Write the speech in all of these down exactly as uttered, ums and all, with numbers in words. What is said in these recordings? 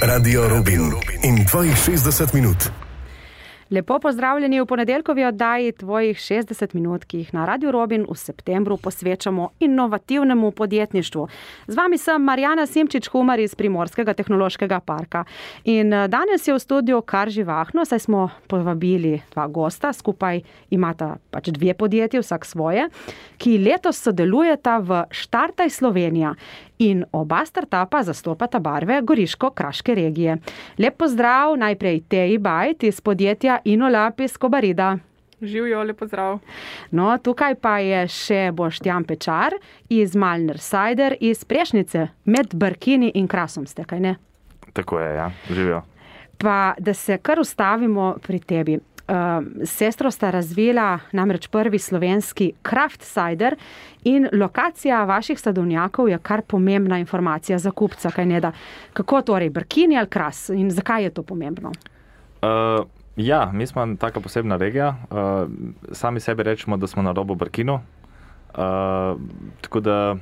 Radio Rubin in tvojih šestdeset minut. Lepo pozdravljeni v ponedeljkovi oddaji tvojih šestdeset minut, ki jih na Radio Robin v septembru posvečamo inovativnemu podjetništvu. Z vami sem Marjana Simčič-Humar iz Primorskega tehnološkega parka. In danes je v studiu kar živahno, saj smo povabili dva gosta, skupaj imata pač dve podjetji, vsak svoje, ki letos sodelujeta v Štartaj Slovenija. In oba startupa zastopata barve Goriško-Kraške regije. Lep pozdrav najprej Teji Bajt iz podjetja InnoLab iz Kobarida. Živjo, lep pozdrav. No, tukaj pa je še Boštjan Pečar iz Malner Cider iz Prešnice, med Brkini in Krasom ste, kaj ne? Tako je, ja, živjo. Pa da se kar ustavimo pri tebi. Uh, sestro sta razvila namreč prvi slovenski craft cider in lokacija vaših sadovnjakov je kar pomembna informacija za kupca, kaj ne da. Kako torej, Brkini ali Kras in zakaj je to pomembno? Uh, ja, mi smo taka posebna regija. Uh, sami sebi rečemo, da smo na robu Brkinu. Uh, tako da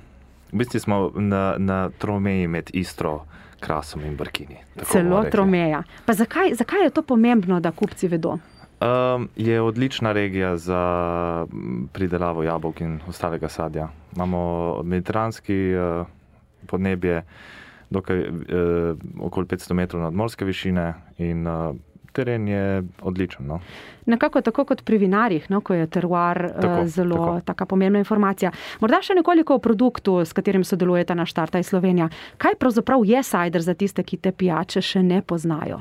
v bistvu smo na, na tromeji med Istro, Krasom in Brkini. Celo tromeja. Pa zakaj, zakaj je to pomembno, da kupci vedo? Um, je odlična regija za pridelavo jabolk in ostalega sadja. Imamo mediteranski uh, podnebje, dokaj uh, okoli petsto metrov nadmorske višine in uh, teren je odličen. No? Nekako tako kot pri vinarjih, no, ko je teruar tako, uh, zelo tako. taka pomembna informacija. Morda še nekoliko o produktu, s katerim sodelujete na Štartaj Slovenija. Kaj pravzaprav je cider za tiste, ki te pijače še ne poznajo?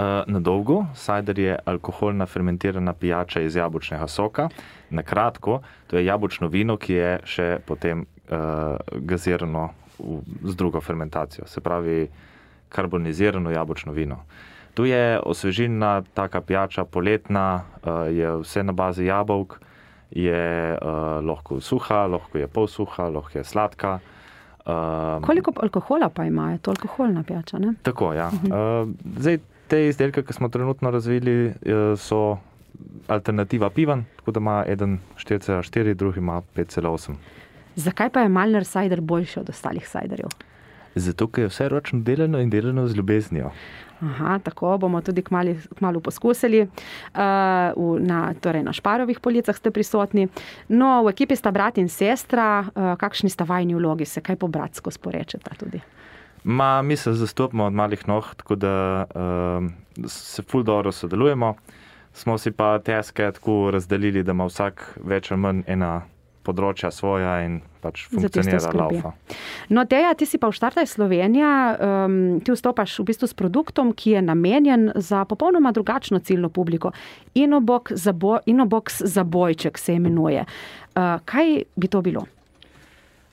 Uh, na dolgo, cider je alkoholna fermentirana pijača iz jabolčnega soka. Na kratko, to je jabolčno vino, ki je še potem uh, gazirano v, z drugo fermentacijo. Se pravi, karbonizirano jabolčno vino. Tu je osvežilna taka pijača, poletna, uh, je vse na bazi jabolk, je uh, lahko suha, lahko je polsuha, lahko je sladka. Uh, Koliko alkohola pa ima? Je to alkoholna pijača, ne? Tako, ja. Uh, zdaj, te izdelke, ki smo trenutno razvili, so alternativa pivan, tako da ima eden štiri cela štiri, drugi ima pet cela osem. Zakaj pa je Malner cider boljši od ostalih ciderjev? Zato, ker je vse ročno delano in delano z ljubeznijo. Aha, tako bomo tudi kmali, kmalu poskusili. Uh, v, na, torej na Šparovih policah ste prisotni. No, v ekipi sta brat in sestra. Uh, kakšni sta vajni vlogi? Se kaj po bratsko sporečeta tudi? Ma, mi se zastopimo od malih noh, tako da uh, se ful dobro sodelujemo. Smo si pa teske tako razdelili, da ima vsak več ali manj ena področja svoja in pač funkcionira laufa. No, Teja, ti si pa v Štartaj Slovenija, um, ti vstopaš v bistvu s produktom, ki je namenjen za popolnoma drugačno ciljno publiko. Inobox zabo, Inobox zabojček se imenuje. Uh, kaj bi to bilo?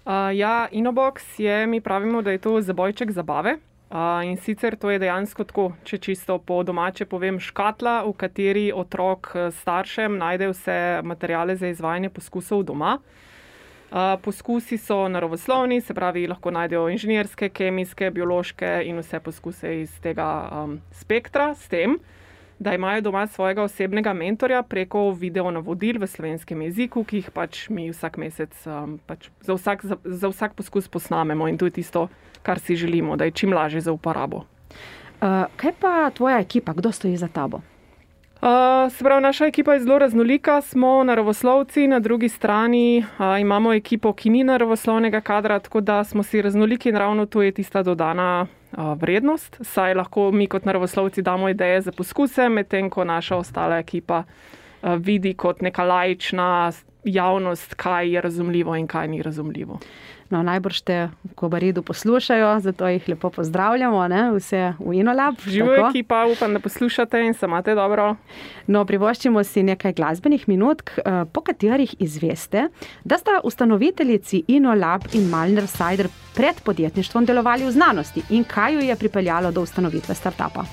Uh, ja, Inobox je, mi pravimo, da je to zabojček zabave. Uh, in sicer to je dejansko tako, če čisto po domače povem, škatla, v kateri otrok staršem najde vse materijale za izvajanje poskusov doma. Uh, poskusi so naravoslovni, se pravi, lahko najdejo inženirske, kemijske, biološke in vse poskuse iz tega um, spektra, s tem, da imajo doma svojega osebnega mentorja preko video navodil v slovenskem jeziku, ki jih pač mi vsak mesec um, pač za, vsak, za, za vsak poskus posnamemo in to je tisto, kar si želimo, da je čim lažje za uporabo. Uh, kaj pa tvoja ekipa? Kdo stoji za tabo? Uh, se pravi, naša ekipa je zelo raznolika, smo naravoslovci, na drugi strani uh, imamo ekipo, ki ni naravoslovnega kadra, tako da smo si raznoliki in ravno to je tista dodana uh, vrednost, saj lahko mi kot naravoslovci damo ideje za poskuse, medtem ko naša ostala ekipa uh, vidi kot neka laična javnost, kaj je razumljivo in kaj ni razumljivo. No, najbrž te v Kobaridu poslušajo, zato jih lepo pozdravljamo, ne? Vse v InnoLab. Živo ekipa, upam, da poslušate in se imate dobro. No, privoščimo si nekaj glasbenih minutk, po katerih izveste, da sta ustanoviteljici InnoLab in Malner Cider pred podjetništvom delovali v znanosti in kaj ju je pripeljalo do ustanovitve startupa.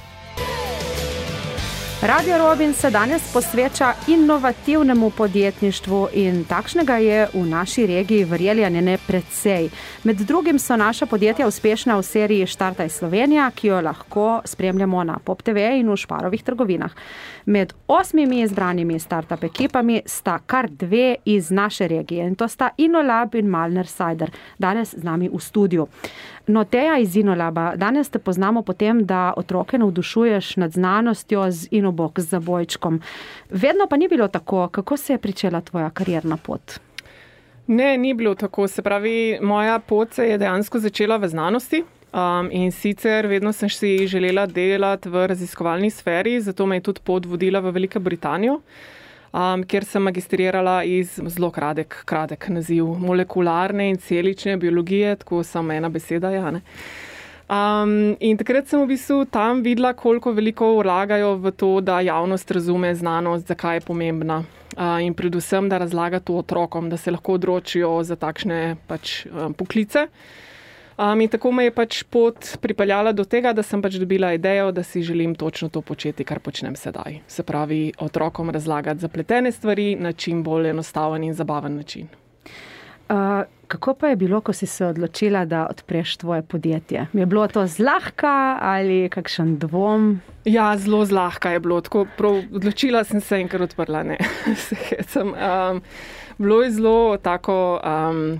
Radio Robin se danes posveča inovativnemu podjetništvu in takšnega je v naši regiji, verjeli ali ne, precej. Med drugim so naša podjetja uspešna v seriji Štartaj Slovenija, ki jo lahko spremljamo na Pop T V in v Šparovih trgovinah. Med osmimi izbranimi startup ekipami sta kar dve iz naše regije in to sta InnoLab in Malner Cider, danes z nami v studiu. No, Teja iz Inolaba, danes te poznamo po tem, da otroke navdušuješ nad znanostjo z Inobox, z zabojčkom. Vedno pa ni bilo tako. Kako se je pričela tvoja karierna pot? Ne, ni bilo tako. Se pravi, moja pot se je dejansko začela v znanosti. Um, in sicer vedno sem si želela delati v raziskovalni sferi, zato me je tudi pot vodila v Veliko Britanijo, um, kjer sem magistrirala iz zelo kratek, kratek naziv molekularne in celične biologije, tako samo ena beseda, ja, ne. Um, in takrat sem v bistvu tam videla, koliko veliko vlagajo v to, da javnost razume znanost, zakaj je pomembna. Uh, in predvsem, da razlaga to otrokom, da se lahko odločijo za takšne pač, um, poklice. Um, in tako me je pač pot pripeljala do tega, da sem pač dobila idejo, da si želim točno to početi, kar počnem sedaj. Se pravi, otrokom razlagati zapletene stvari na čim bolj enostaven in zabaven način. Uh, kako pa je bilo, ko si se odločila, da odpreš tvoje podjetje? Je bilo to zlahka ali kakšen dvom? Ja, zelo zlahka je bilo. Tako, prav, odločila sem se in kar odprla, ne. sem, um, bilo je zelo tako... Um,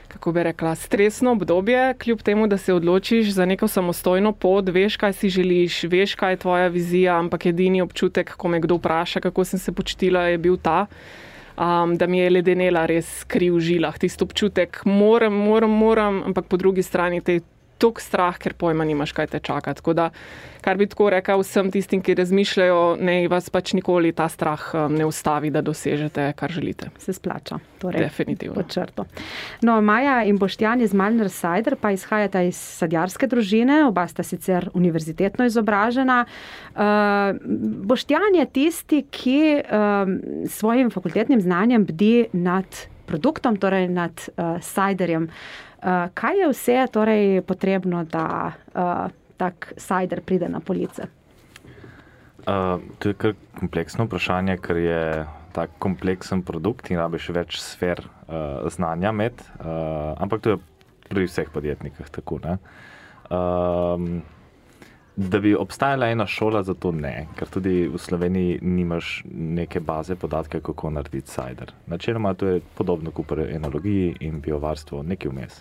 kako bi rekla, stresno obdobje, kljub temu, da se odločiš za neko samostojno pot, veš, kaj si želiš, veš, kaj je tvoja vizija, ampak edini občutek, ko me kdo vpraša, kako sem se počutila, je bil ta, um, da mi je ledenela res kri v žilah. Tisti občutek, moram, moram, moram, ampak po drugi strani te tok strah, ker pojma nimaš, kaj te čaka. Tako da, kar bi tako rekel vsem tistim, ki razmišljajo, ne vas pač nikoli ta strah um, ne ustavi, da dosežete, kar želite. Se splača. Torej, definitivno. Pod črto. No, Maja in Boštjan iz Malner Cider pa izhajata iz sadjarske družine, oba sta sicer univerzitetno izobražena. Uh, Boštjan je tisti, ki um, svojim fakultetnim znanjem bdi nad produktom, torej nad uh, ciderjem. Uh, kaj je vse torej potrebno, da uh, tak cider pride na police? Uh, to je kar kompleksno vprašanje, ker je tak kompleksen produkt in rabiš več sfer uh, znanja med, uh, ampak to je pri vseh podjetnikih tako, ne. Um, da bi obstajala ena šola, za to ne, ker tudi v Sloveniji nimaš neke baze podatke, kako narediti cider. Načeloma to je podobno kot pri enologiji in biovarstvu, nekaj vmes.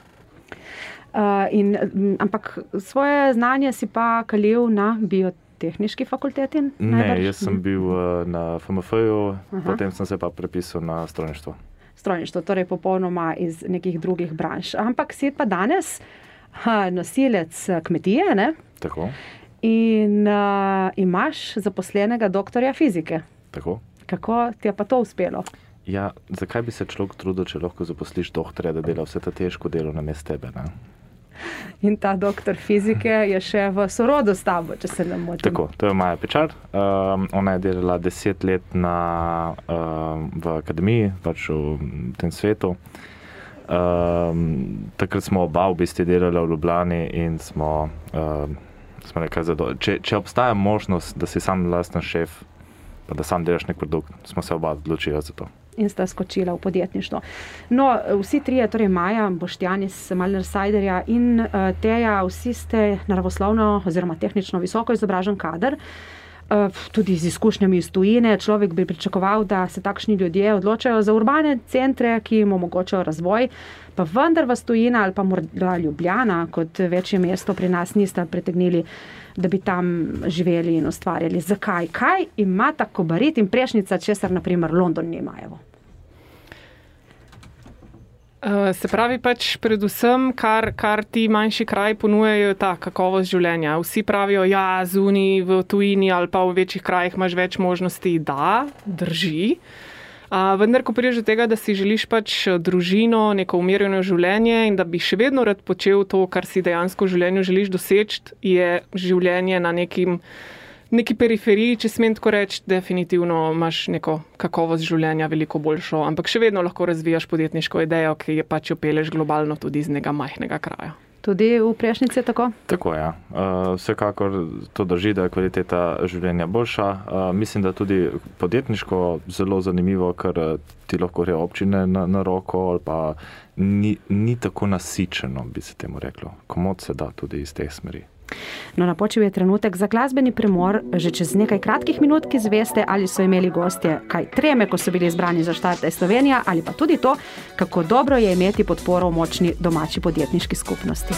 Uh, in, ampak svoje znanje si pa kalil na biotehniški fakulteti? Ne, najbrž? Jaz sem bil uh, na F M F-ju, potem sem se pa prepisal na strojništvo. Strojništvo, torej popolnoma iz nekih drugih branž. Ampak si pa danes ha, nosilec kmetije, ne? Tako. In uh, imaš zaposlenega doktorja fizike. Tako. Kako ti je pa to uspelo? Ja, zakaj bi se človek trudil, če lahko zaposliš doktorja, da dela vse ta težko delo namesto tebe, ne? In ta doktor fizike je še v sorodu s tabo, če se ne motim. Tako, to je Maja Pečar. Um, ona je delala deset let na, um, v akademiji, pač v tem svetu. Um, takrat smo oba v bistvu delali v Ljubljani in smo, um, smo nekaj zadovoljni. Če, če obstaja možnost, da si sam lasten šef, pa da sam delaš nek produkt, smo se oba odločili za to. In sta skočila v podjetništvo. No, vsi trije, torej Maja, Boštjan iz Malner Ciderja in uh, Teja, vsi ste naravoslovno oziroma tehnično visoko izobražen kader, uh, tudi z izkušnjami iz tujine. Človek bi pričakoval, da se takšni ljudje odločajo za urbane centre, ki jim omogočajo razvoj, pa vendar vas tujina ali pa morda Ljubljana kot večje mesto pri nas nista pritegnili, da bi tam živeli in ustvarjali. Zakaj? Kaj ima ta Kobarid in Prešnica, česar na primer London nimajo? Uh, se pravi pač predvsem, kar, kar ti manjši kraj ponujajo, ta kakovost življenja. Vsi pravijo, ja, zunaj v tujini ali pa v večjih krajih imaš več možnosti, da, drži. Uh, vendar, ko prideš do tega, da si želiš pač družino, neko umirjeno življenje in da bi še vedno rad počel to, kar si dejansko v življenju želiš doseči, je življenje na nekim, neki periferiji, če smem tako reči, definitivno imaš neko kakovost življenja veliko boljšo, ampak še vedno lahko razvijaš podjetniško idejo, ki je pač jo peleš globalno tudi iz nekega majhnega kraja. Tudi v Prešnici je tako? Tako, ja. Uh, vsekakor to drži, da je kvaliteta življenja boljša. Uh, mislim, da tudi podjetniško zelo zanimivo, ker ti lahko gre občine na, na roko ali pa ni, ni tako nasičeno, bi se temu reklo. Komod se da tudi iz teh smeri. No, napočil je trenutek za glasbeni premor. Že čez nekaj kratkih minut, ki zveste, ali so imeli gostje kaj treme, ko so bili izbrani za Štart Slovenija, ali pa tudi to, kako dobro je imeti podporo v močni domači podjetniški skupnosti.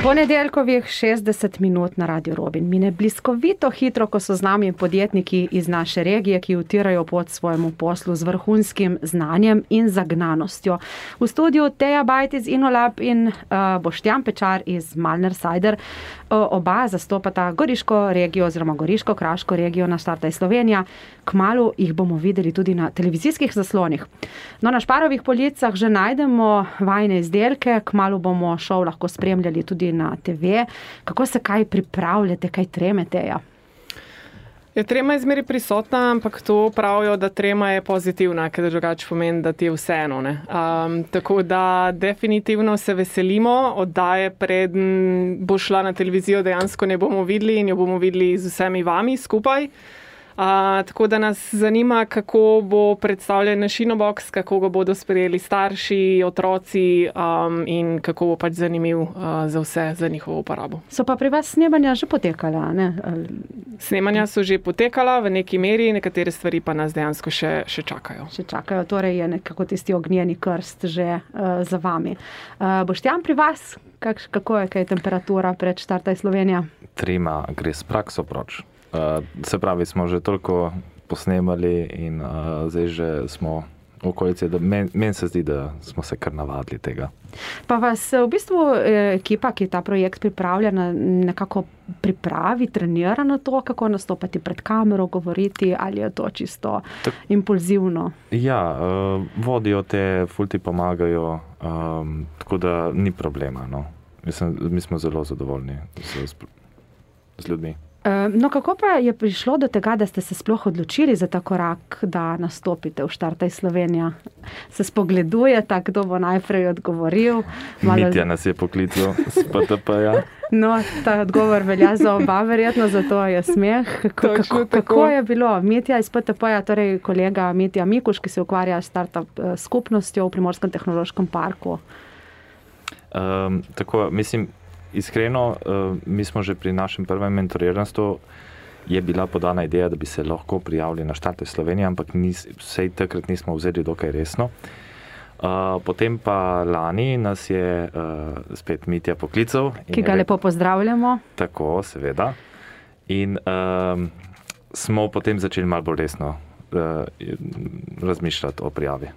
Ponedeljkovih šestdeset minut na Radio Robin mine bliskovito hitro, ko so z nami podjetniki iz naše regije, ki utirajo pot svojemu poslu z vrhunskim znanjem in zagnanostjo. V studiu Teja Bajt iz Inolab in uh, Boštjan Pečar iz Malner Cider. Uh, oba zastopata Goriško regijo oziroma Goriško-Kraško regijo na Startaj Slovenija. Kmalu jih bomo videli tudi na televizijskih zaslonih. No, na Šparovih policah že najdemo vajne izdelke, kmalu bomo šov lahko spremljali tudi na te ve. Kako se kaj pripravljate, kaj tremete? Ja? Ja, trema je zmeri prisotna, ampak to pravijo, da trema je pozitivna, ker drugače pomeni, da ti je vseeno. Um, tako da definitivno se veselimo, oddaje preden bo šla na televizijo, dejansko ne bomo videli in jo bomo videli z vsemi vami skupaj. Uh, tako da nas zanima, kako bo predstavljen naš Inobox, kako ga bodo sprejeli starši, otroci um, in kako bo pač zanimiv uh, za vse, za njihovo uporabo. So pa pri vas snemanja že potekala, ne? Snemanja so že potekala v neki meri, nekatere stvari pa nas dejansko še, še čakajo. Še čakajo, torej je nekako tisti ognjeni krst že uh, za vami. Uh, Boštjan, pri vas, kak, kako je, kaj je temperatura pred Startaj Slovenija? Trema gre s prakso proč. Uh, se pravi, smo že toliko posnemali in uh, zdaj že smo v okolici, da meni men se zdi, da smo se kar navadili tega. Pa vas v bistvu ekipa, ki ta projekt pripravlja, nekako pripravi, trenira na to, kako nastopati pred kamero, govoriti, ali je to čisto tak, impulzivno? Ja, uh, vodijo te, ful ti pomagajo, um, tako da ni problema. No. Mislim, mi smo zelo zadovoljni z, z ljudmi. No, kako pa je prišlo do tega, da ste se sploh odločili za ta korak, da nastopite v Startaj Slovenija? Se spogledujete, kdo bo najprej odgovoril? Malo... Mitja nas je poklical s P T P-ja. No, ta odgovor velja za oba, verjetno, zato je smeh. Kako, kako, kako je bilo? Mitja iz P T P-ja, torej kolega Mitja Mikuš, ki se ukvarja s startup skupnostjo v Primorskem tehnološkem parku. Um, tako, mislim, iskreno, mi smo že pri našem prvem mentoriranstvu, je bila podana ideja, da bi se lahko prijavili na Startaj Slovenija, ampak nis, vsej takrat nismo vzeli dokaj resno. Potem pa lani nas je spet Mitja poklical. Ki ga lepo pozdravljamo. Tako, seveda. In um, smo potem začeli malo bolj resno uh, razmišljati o prijavi.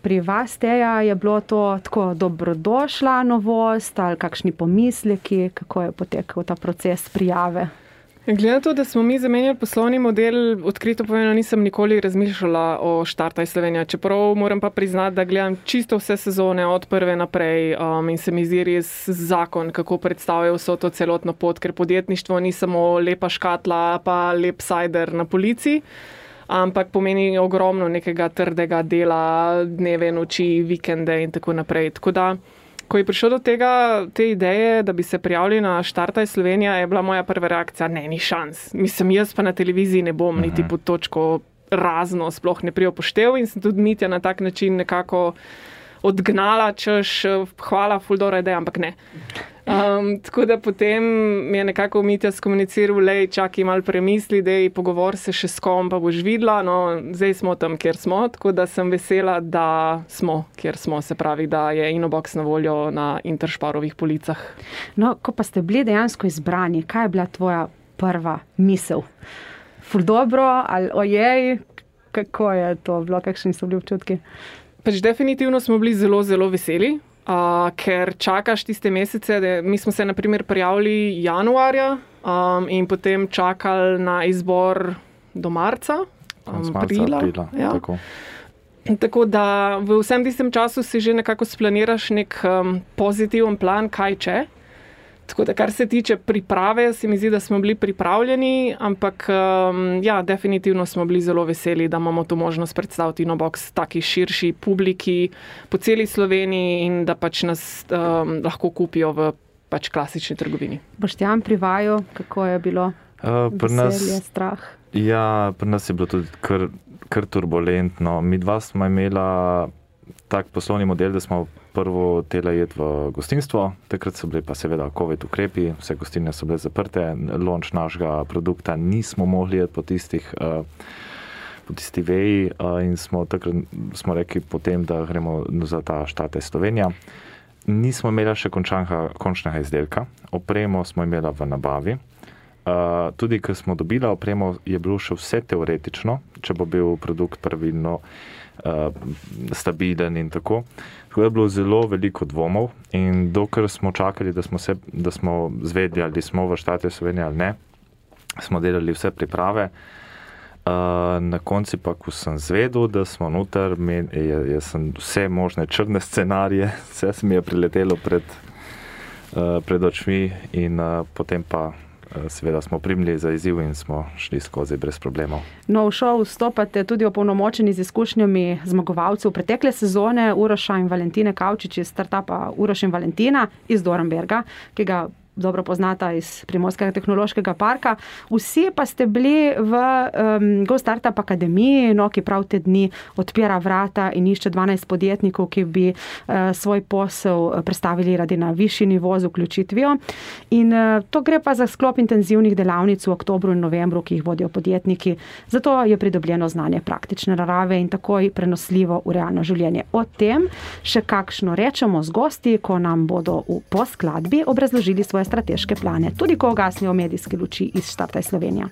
Pri vas, Teja, je bilo to tako dobrodošla novost ali kakšni pomisleki, kako je potekal ta proces prijave? Glede na to, da smo mi zamenjali poslovni model, odkrito povedano nisem nikoli razmišljala o Startaj Slovenija, čeprav moram pa priznati, da gledam čisto vse sezone od prve naprej um, in se mi zdi res zakon, kako predstavljajo vso to celotno pot, ker podjetništvo ni samo lepa škatla pa lep cider na polici, ampak pomeni ogromno nekega trdega dela, dneve, noči, vikende in tako naprej. Tako da, ko je prišlo do tega, te ideje, da bi se prijavili na Startaj Slovenija, je bila moja prva reakcija, ne, ni šans. Mislim, jaz pa na televiziji ne bom niti uh-huh. pod točko razno, sploh ne prijopoštev in sem tudi Mitja na tak način nekako odgnala, češ, hvala, ful dobra ideja, ampak ne. Um, tako da potem mi je nekako Mitja skomuniciral, lej, čakaj malo premisli, dej, pogovor se še s kom, pa boš videla, no, zdaj smo tam, kjer smo, tako da sem vesela, da smo, kjer smo, se pravi, da je Inobox na voljo na Interšparovih policah. No, ko pa ste bili dejansko izbrani, kaj je bila tvoja prva misel? Ful dobro ali ojej, kako je to bilo, kakšni so bili občutki? Pač definitivno smo bili zelo, zelo veseli. Uh, ker čakaš tiste mesece, da mi smo se na primer prijavili januarja um, in potem čakali na izbor do marca, um, aprila. aprila ja. tako. tako da v vsem tistem času si že nekako splaniraš nek um, pozitiven plan, kaj če. Tako da kar se tiče priprave, se mi zdi, da smo bili pripravljeni, ampak um, ja, definitivno smo bili zelo veseli, da imamo to možnost predstaviti Inobox taki širši publiki po celi Sloveniji in da pač nas um, lahko kupijo v pač klasični trgovini. Boštjan, pri vaju, kako je bilo uh, veselje, strah? Ja, pri nas je bilo tudi kar, kar turbulentno. Mi dva smo imela tak poslovni model, da smo prvo tela jeti v gostinstvo, takrat so bili pa seveda COVID ukrepi, vse gostinje so bile zaprte, launch našega produkta nismo mogli jeti po tistih, uh, po tisti veji uh, in smo takrat smo rekli potem, da gremo za ta Startaj Slovenija. nismo imeli še končanega, končnega izdelka, opremo smo imeli v nabavi. Uh, tudi, ker smo dobili opremo, je bilo še vse teoretično, če bo bil produkt pravilno uh, stabilen in tako. Tako je bilo zelo veliko dvomov in dokler smo čakali, da smo, se, da smo zvedli, ali smo v Štartaju Slovenije ali ne, smo delali vse priprave. Uh, na konci pa, ko sem zvedel, da smo noter, men, jaz sem vse možne črne scenarije, vse se mi je priletelo pred, uh, pred očmi in uh, potem pa seveda smo primili za izziv in smo šli skozi brez problemov. No, v šov vstopate tudi opolnomočeni z izkušnjami zmagovalcev pretekle sezone Uroša in Valentine Kavčič iz startupa Uroš in Valentina iz Dornberga, ki ga dobro poznata iz Primorskega tehnološkega parka. Vsi pa ste bili v um, Go Startup Akademiji, no, ki prav te dni odpira vrata in išče dvanajst podjetnikov, ki bi uh, svoj posel predstavili radi na višji nivo z vključitvijo. In uh, to gre pa za sklop intenzivnih delavnic v oktobru in novembru, ki jih vodijo podjetniki. Zato je pridobljeno znanje praktične narave in takoj prenosljivo v realno življenje. O tem še kakšno rečemo z gosti, ko nam bodo v poskladbi obrazložili svoje strateške plane, tudi ko ugasnejo medijske luči iz Štartaj Slovenija.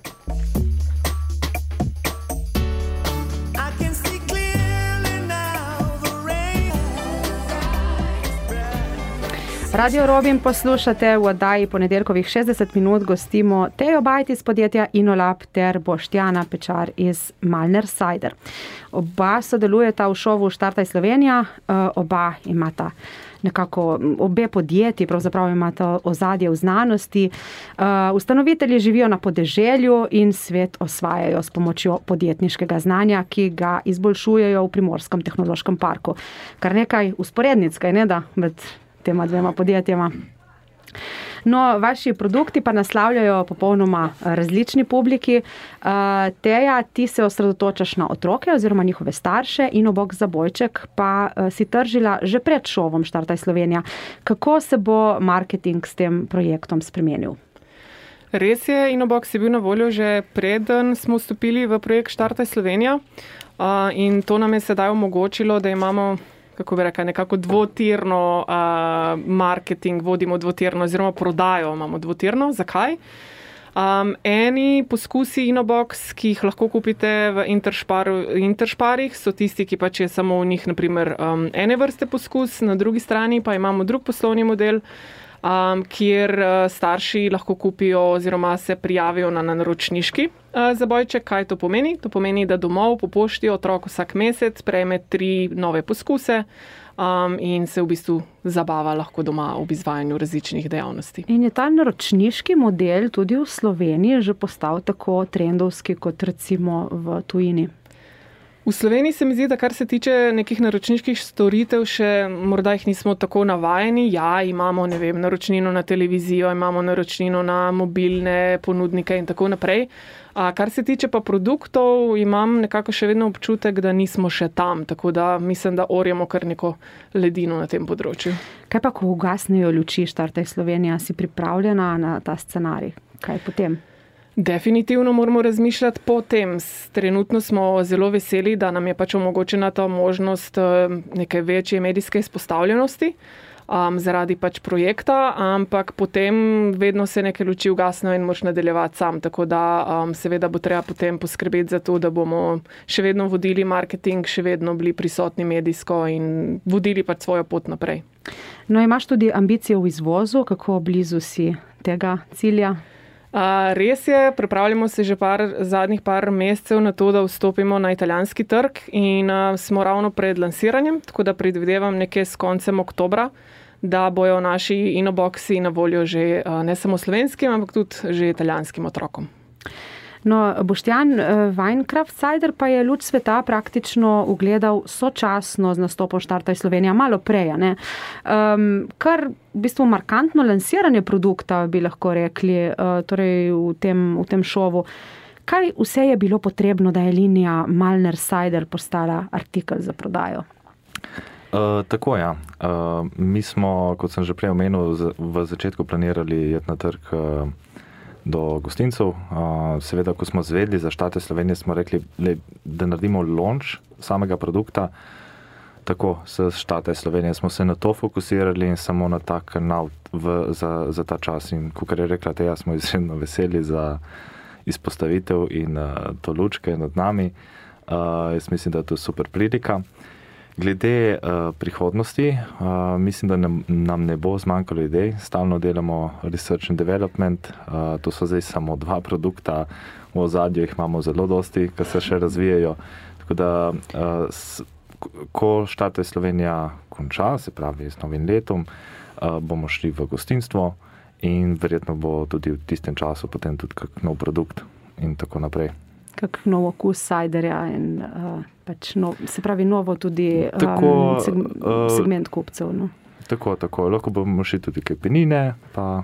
Radio Robin poslušate, v oddaji ponedeljkovih šestdeset minut gostimo Tejo Bajt iz podjetja InnoLab ter Boštjana Pečar iz Malner Cider. Oba sodelujeta v šovu Štartaj Slovenija, oba imata nekako, obe podjetji pravzaprav imata ozadje v znanosti. Ustanovitelji živijo na podeželju in svet osvajajo s pomočjo podjetniškega znanja, ki ga izboljšujejo v Primorskem tehnološkem parku. Kar nekaj usporednic, kaj ne da, med tema dvema podjetjema. No, vaši produkti pa naslavljajo popolnoma različni publiki. Teja, ti se osredotočaš na otroke oziroma njihove starše, InnoBox Zabojček pa si tržila že pred šovom Štartaj Slovenija. Kako se bo marketing s tem projektom spremenil? Res je, InnoBox je bil na voljo že preden smo vstopili v projekt Štartaj Slovenija in to nam je sedaj omogočilo, da imamo kako bi rekla, nekako dvotirno uh, marketing, vodimo dvotirno, oziroma prodajo imamo dvotirno. Zakaj? Um, eni poskusi InnoBox, ki jih lahko kupite v Interšparu, Interšparih, so tisti, ki pač je samo v njih, naprimer, um, ene vrste poskus, na drugi strani pa imamo drug poslovni model, Um, kjer uh, starši lahko kupijo oziroma se prijavijo na naročniški uh, zabojček. Kaj to pomeni? To pomeni, da domov po pošti otrok vsak mesec prejme tri nove poskuse um, in se v bistvu zabava lahko doma ob izvajanju različnih dejavnosti. In je ta naročniški model tudi v Sloveniji že postal tako trendovski kot recimo v tujini? V Sloveniji se mi zdi, da kar se tiče nekih naročniških storitev, še morda jih nismo tako navajeni. Ja, imamo, ne vem, naročnino na televizijo, imamo naročnino na mobilne ponudnike in tako naprej. A kar se tiče pa produktov, imam nekako še vedno občutek, da nismo še tam, tako da mislim, da orjemo kar neko ledino na tem področju. Kaj pa, ko ugasnejo luči Štartaj Slovenija, si pripravljena na ta scenarij? Kaj potem? Definitivno moramo razmišljati po tem. Trenutno smo zelo veseli, da nam je pač omogočena ta možnost neke večje medijske izpostavljenosti um, zaradi pač projekta, ampak potem vedno se neke luči ugasnejo in moraš nadaljevati sam. Tako da um, seveda bo treba potem poskrbeti za to, da bomo še vedno vodili marketing, še vedno bili prisotni medijsko in vodili pač svojo pot naprej. No, imaš tudi ambicije v izvozu, kako blizu si tega cilja? Uh, res je, pripravljamo se že par, zadnjih par mesecev na to, da vstopimo na italijanski trg in uh, smo ravno pred lansiranjem, tako da predvidevam nekje s koncem oktobra, da bojo naši InnoBoxi na voljo že uh, ne samo slovenskim, ampak tudi že italijanskim otrokom. No, Boštjan, Winecraft Cider pa je luč sveta praktično ugledal sočasno z nastopom Štartaj Slovenija, malo prej, ne? Um, kar v bistvu markantno lansiranje produkta, bi lahko rekli, uh, torej v tem, v tem šovu. Kaj vse je bilo potrebno, da je linija Malner Cider postala artikel za prodajo? Uh, tako, ja. Uh, mi smo, kot sem že prej omenil, v začetku planirali iti na trg uh, do gostincev. Seveda, ko smo zvedli za Štartaj Slovenije, smo rekli, da naredimo launch samega produkta. tako, s Štate Slovenije smo se na to fokusirali in samo na ta kanal v, za, za ta čas. In kakor je rekla Teja, smo izredno veseli za izpostavitev in uh, to lučke nad nami. Uh, jaz mislim, da je to super prilika. Glede uh, prihodnosti, uh, mislim, da nam, nam ne bo zmanjkalo idej. Stalno delamo research and development, uh, to so zdaj samo dva produkta, v ozadju jih imamo zelo dosti, ki se še razvijajo. Tako da, uh, s, ko Štate Slovenija konča, se pravi z novim letom, uh, bomo šli v gostinstvo in verjetno bo tudi v tistem času potem tudi kak nov produkt in tako naprej. Kak nov okus sajderja in uh, pač nov, se pravi novo tudi um, tako, seg, segment kupcev. No. Tako, tako. Lahko bomo šli tudi kaj penine, pa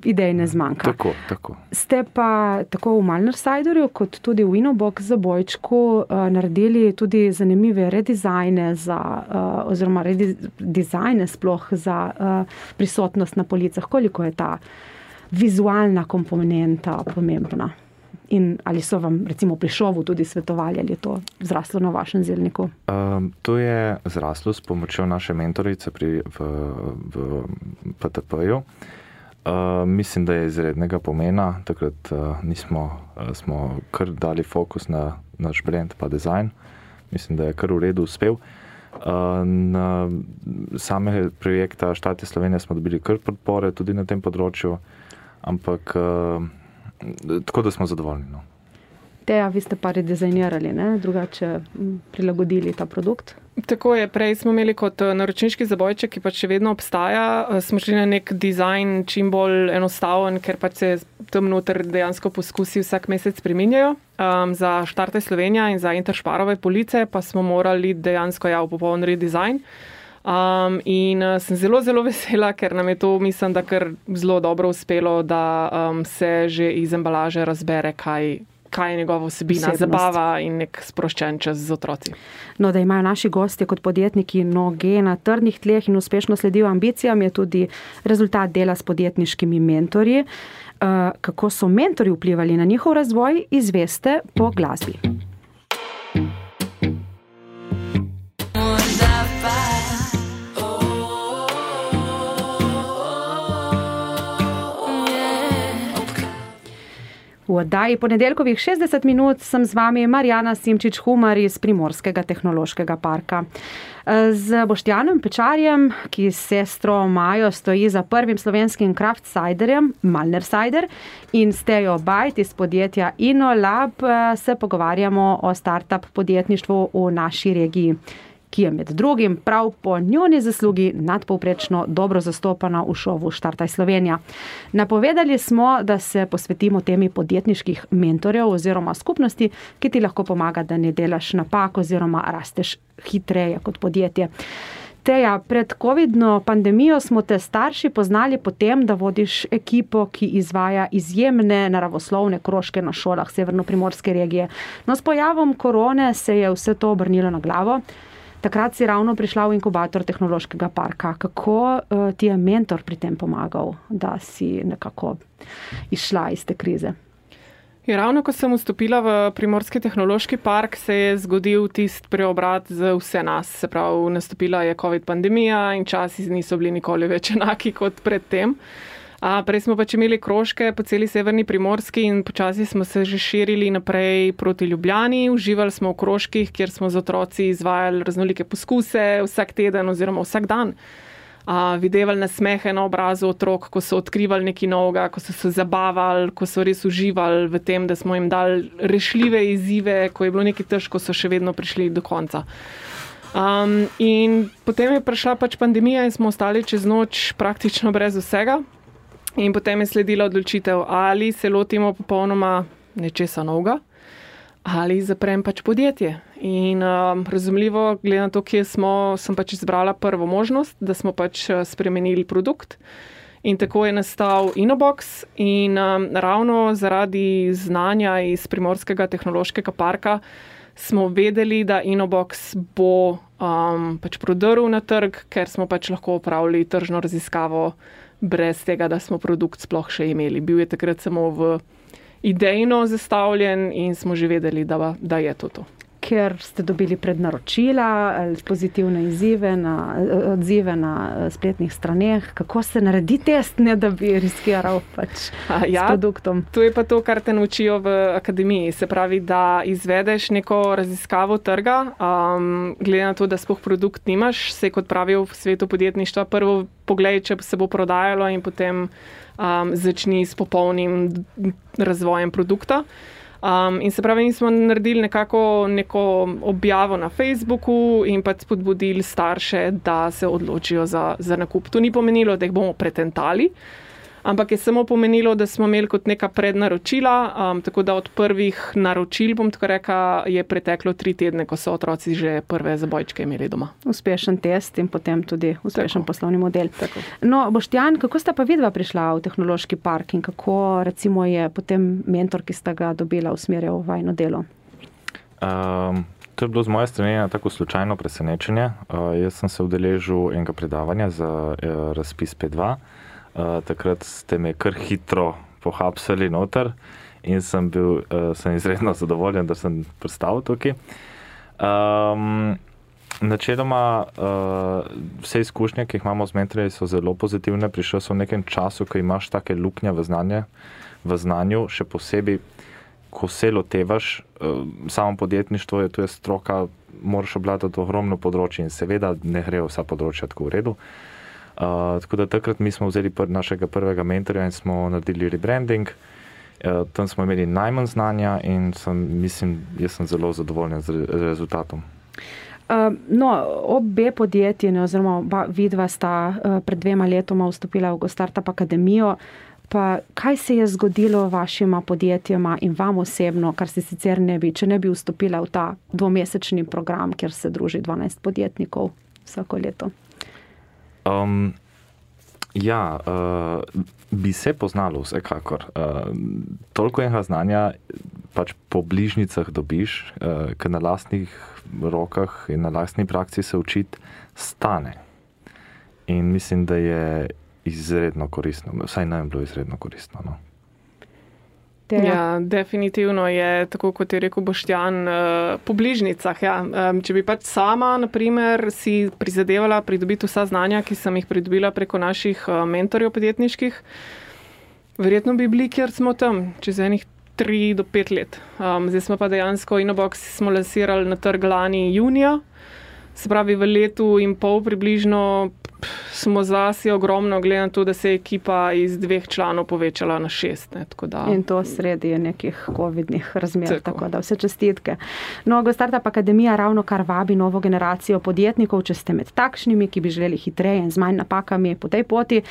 idej ne zmanjka. Tako, tako. Ste pa tako v Malner Ciderju kot tudi v Inobox zabojčku uh, naredili tudi zanimive redizajne za, uh, oziroma redizajne sploh za uh, prisotnost na policah. Koliko je ta vizualna komponenta pomembna? In ali so vam recimo pri šovu tudi svetovali, ali je to zraslo na vašem zelniku? Um, to je zraslo s pomočjo naše mentorice pri, v, v P T P-ju. Uh, mislim, da je izrednega pomena. Takrat uh, nismo, uh, smo kar dali fokus na naš brand pa dizajn. Mislim, da je kar v redu uspel. Uh, na same projekta Štate Slovenije smo dobili kar podpore tudi na tem področju, ampak uh, tako da smo zadovoljni. No. Teja, vi ste pa redizajnirali, ne? Drugače prilagodili ta produkt? Tako je, prej smo imeli kot naročniški zabojček, ki pač še vedno obstaja. Smo šli na nek dizajn čim bolj enostaven, ker pač se tam noter dejansko poskusi vsak mesec spreminjajo. Um, za Štarte Slovenija in za Interšparove police pa smo morali dejansko ja, v popoln redizajn. Um, in uh, sem zelo, zelo vesela, ker nam je to, mislim, da kar zelo dobro uspelo, da um, se že iz embalaže razbere, kaj, kaj je njegova vsebina, zabava in nek sproščen čas z otroci. No, da imajo naši gostje kot podjetniki noge na trdnih tleh in uspešno sledijo ambicijam, je tudi rezultat dela s podjetniškimi mentorji. Uh, kako so mentorji vplivali na njihov razvoj, izveste po glasbi. V oddaji Ponedeljkovih šestdeset minut sem z vami Marjana Simčič-Humar iz Primorskega tehnološkega parka. Z Boštjanom Pečarjem, ki s sestro Majo stoji za prvim slovenskim craft ciderjem, Malner Cider, in s Tejo Bajt iz podjetja InnoLab se pogovarjamo o startup podjetništvu v naši regiji, ki je med drugim prav po njuni zaslugi nadpovprečno dobro zastopana v šovu Štartaj Slovenija. Napovedali smo, da se posvetimo temi podjetniških mentorjev oziroma skupnosti, ki ti lahko pomaga, da ne delaš napak oziroma rasteš hitreje kot podjetje. Teja, pred covidno pandemijo smo te starši poznali po tem, da vodiš ekipo, ki izvaja izjemne naravoslovne krožke na šolah severnoprimorske regije. No, s pojavom korone se je vse to obrnilo na glavo. Takrat si ravno prišla v inkubator tehnološkega parka. Kako uh, ti je mentor pri tem pomagal, da si nekako izšla iz te krize? Ja, ravno ko sem vstopila v Primorski tehnološki park, se je zgodil tist preobrat za vse nas. Se pravi, nastopila je covid pandemija in časi niso bili nikoli več enaki kot predtem. A, prej smo pač imeli krožke po celi severni Primorski in počasi smo se že širili naprej proti Ljubljani. Uživali smo v krožkih, kjer smo z otroci izvajali raznolike poskuse vsak teden oziroma vsak dan. A, videvali nasmehe na obrazu otrok, ko so odkrivali nekaj novega, ko so se zabavali, ko so res uživali v tem, da smo jim dali rešljive izzive, ko je bilo nekaj težko, so še vedno prišli do konca. Um, in potem je prišla pač pandemija in smo ostali čez noč praktično brez vsega. In potem je sledila odločitev, ali se lotimo popolnoma nečesa novega, ali zaprem pač podjetje. In um, razumljivo, glede na to, kje smo, sem pač izbrala prvo možnost, da smo pač spremenili produkt. In tako je nastal Innobox in um, ravno zaradi znanja iz Primorskega tehnološkega parka smo vedeli, da Innobox bo um, pač prodrl na trg, ker smo pač lahko opravili tržno raziskavo brez tega, da smo produkt sploh še imeli. Bil je takrat samo v idejno zastavljen in smo že vedeli, da, da je to to. ker ste dobili prednaročila ali pozitivne izzive na, odzive na spletnih straneh. Kako se naredi test, ne da bi riskiral pač ja, s produktom? To je pa to, kar te naučijo v akademiji. Se pravi, da izvedeš neko raziskavo trga, um, glede na to, da sploh produkt nimaš, se kot pravijo v svetu podjetništva, prvo poglej, če se bo prodajalo in potem um, začni s popolnim razvojem produkta. Um, in se pravi, mi smo naredili nekako neko objavo na Facebooku in pa spodbudili starše, da se odločijo za, za nakup. To ni pomenilo, da jih bomo pretentali, ampak je samo pomenilo, da smo imeli kot neka prednaročila, um, tako da od prvih naročil, bom tako rekla, je preteklo tri tedne, ko so otroci že prve zabojčke imeli doma. Uspešen test in potem tudi uspešen tako. Poslovni model. Tako. No, Boštjan, kako sta pa vidva prišla v tehnološki park in kako recimo je potem mentor, ki sta ga dobila, usmerjal v vajno delo? Um, to je bilo z moje strani na tako slučajno presenečenje. Uh, jaz sem se udeležil enega predavanja za uh, razpis P dva. Uh, takrat ste me kar hitro pohapsali noter in sem bil uh, sem izredno zadovoljen, da sem pristal tukaj. Um, načeloma uh, vse izkušnje, ki jih imamo z mentorji, so zelo pozitivne. Prišel sem v nekem času, ko imaš take luknje v, znanje, v znanju, še posebej, ko se lotevaš. Uh, samo podjetništvo je, to je stroka, moraš obvladati ogromno področje in seveda ne gre vsa področja tako v redu. Uh, tako da takrat mi smo vzeli pr našega prvega mentorja in smo naredili rebranding. Uh, tam smo imeli najmanj znanja in sem, mislim, jaz sem zelo zadovoljen z re rezultatom. Uh, no, obe podjetji, ne, oziroma vidva sta uh, pred dvema letoma vstopila v GoStartup Akademijo. Pa kaj se je zgodilo vašima podjetjema in vam osebno, kar se sicer ne bi, če ne bi vstopila v ta dvomesečni program, kjer se druži dvanajst podjetnikov vsako leto? Um, ja, uh, bi se poznalo vsekakor. Uh, toliko enega znanja pač po bližnicah dobiš, uh, ker na lastnih rokah in na lastni praksi se učiti stane. In mislim, da je izredno koristno. Vsaj nam je bilo izredno koristno. No. Ja, definitivno je, tako kot je rekel Boštjan, po bližnicah. Ja. Če bi pač sama, na primer, si prizadevala pridobiti vsa znanja, ki sem jih pridobila preko naših mentorjev podjetniških, verjetno bi bili, kjer smo tam, čez enih tri do pet let. Zdaj smo pa dejansko Inobox smo lansirali na trg lani junija, se pravi v letu in pol približno smo zasi ogromno, glede na to, da se je ekipa iz dveh članov povečala na šest. Ne, tako da... In to sredi nekih covidnih razmer, tako. tako da vse čestitke. No, GoStartup Akademija ravno kar vabi novo generacijo podjetnikov, če ste med takšnimi, ki bi želeli hitreje in z manj napakami po tej poti,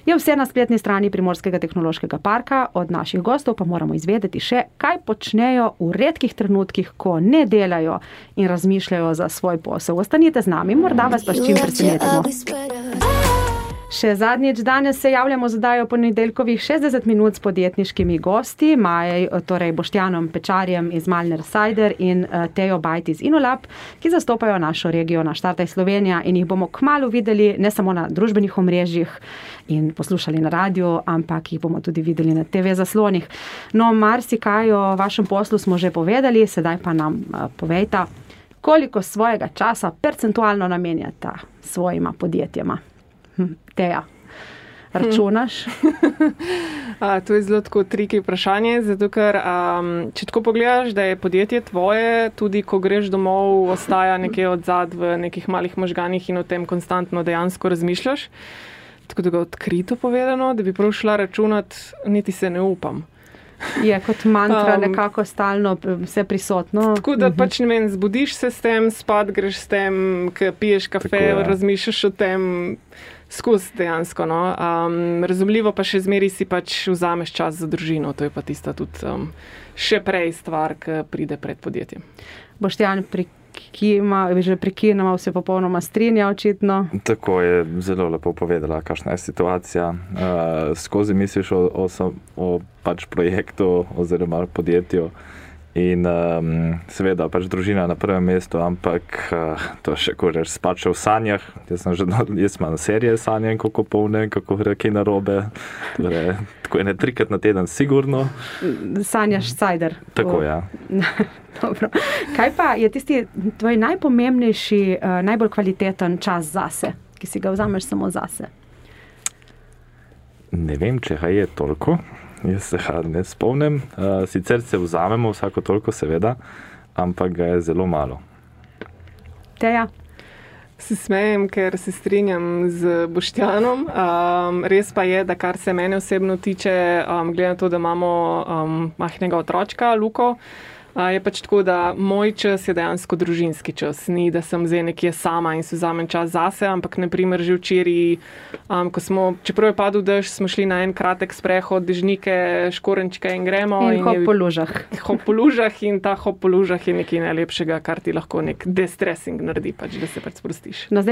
je vse na spletni strani Primorskega tehnološkega parka. Od naših gostov pa moramo izvedeti še, kaj počnejo v redkih trenutkih, ko ne delajo in razmišljajo za svoj posel. Ostanite z nami, morda vas pa s čim presenetimo. Še zadnjič danes se javljamo z oddajo ponedeljkovih šestdeset minut s podjetniškimi gosti, Maj, torej Boštjanom Pečarjem iz Malner Cider in Tejo Bajt iz Inolab, ki zastopajo našo regijo na Startaj Slovenija in jih bomo kmalu videli ne samo na družbenih omrežjih in poslušali na radiju, ampak jih bomo tudi videli na te ve zaslonih. No, marsikaj o vašem poslu smo že povedali, sedaj pa nam povejta, koliko svojega časa percentualno namenjata svojima podjetjema. Teja, računaš? A, to je zelo tako triki vprašanje, zato ker um, če tako pogledaš, da je podjetje tvoje, tudi ko greš domov, ostaja nekje odzad v nekih malih možganih in o tem konstantno dejansko razmišljaš. Tako da ga odkrito povedano, da bi prav šla računat, niti se ne upam. Je kot mantra um, nekako stalno vse prisotno. Tako da pač ne vem, zbudiš se s tem, spad greš s tem, piješ kafe, razmišljaš o tem, skozi dejansko. No. Um, razumljivo pa še zmeri si pač vzameš čas za družino, to je pa tista tudi um, še prej stvar, ki pride pred podjetjem. Boštjan, prikima, že prekinemo, se popolnoma strinja očitno. Tako je zelo lepo povedala, kakšna je situacija. Uh, skozi misliš o, o, o pač projektu oziroma podjetju In um, seveda pač družina na prvem mestu, ampak uh, to še ko rečeš spače v sanjah. Jaz sem že, jaz imam serije sanjam, kako polne, kako gre kaj narobe. Torej, tako ene trikrat na teden sigurno. Sanjaš cajder. Tako, ja. Dobro. Kaj pa je tisti tvoj najpomembnejši, uh, najbolj kvaliteten čas zase, ki si ga vzameš samo zase? Ne vem, če ga je toliko. Jaz se ga ne spomnim. Uh, sicer se vzamemo vsako toliko, seveda, ampak ga je zelo malo. Teja? Se smejem, ker se strinjam z Boštjanom. Um, res pa je, da kar se mene osebno tiče, um, glede na to, da imamo um, majhnega otročka, Luko, uh, je pač tako, da moj čas je dejansko družinski čas. Ni, da sem zdaj nekje sama in se vzamem čas zase, ampak naprimer že včeraj, um, ko smo, čeprav je padel dež, smo šli na en kratek sprehod, dežnike, škorenčke in gremo. In, in hop po lužah. Hop po lužah in ta hop po lužah je nekaj najlepšega, kar ti lahko nek destressing naredi, pač, da se pač sprostiš. No,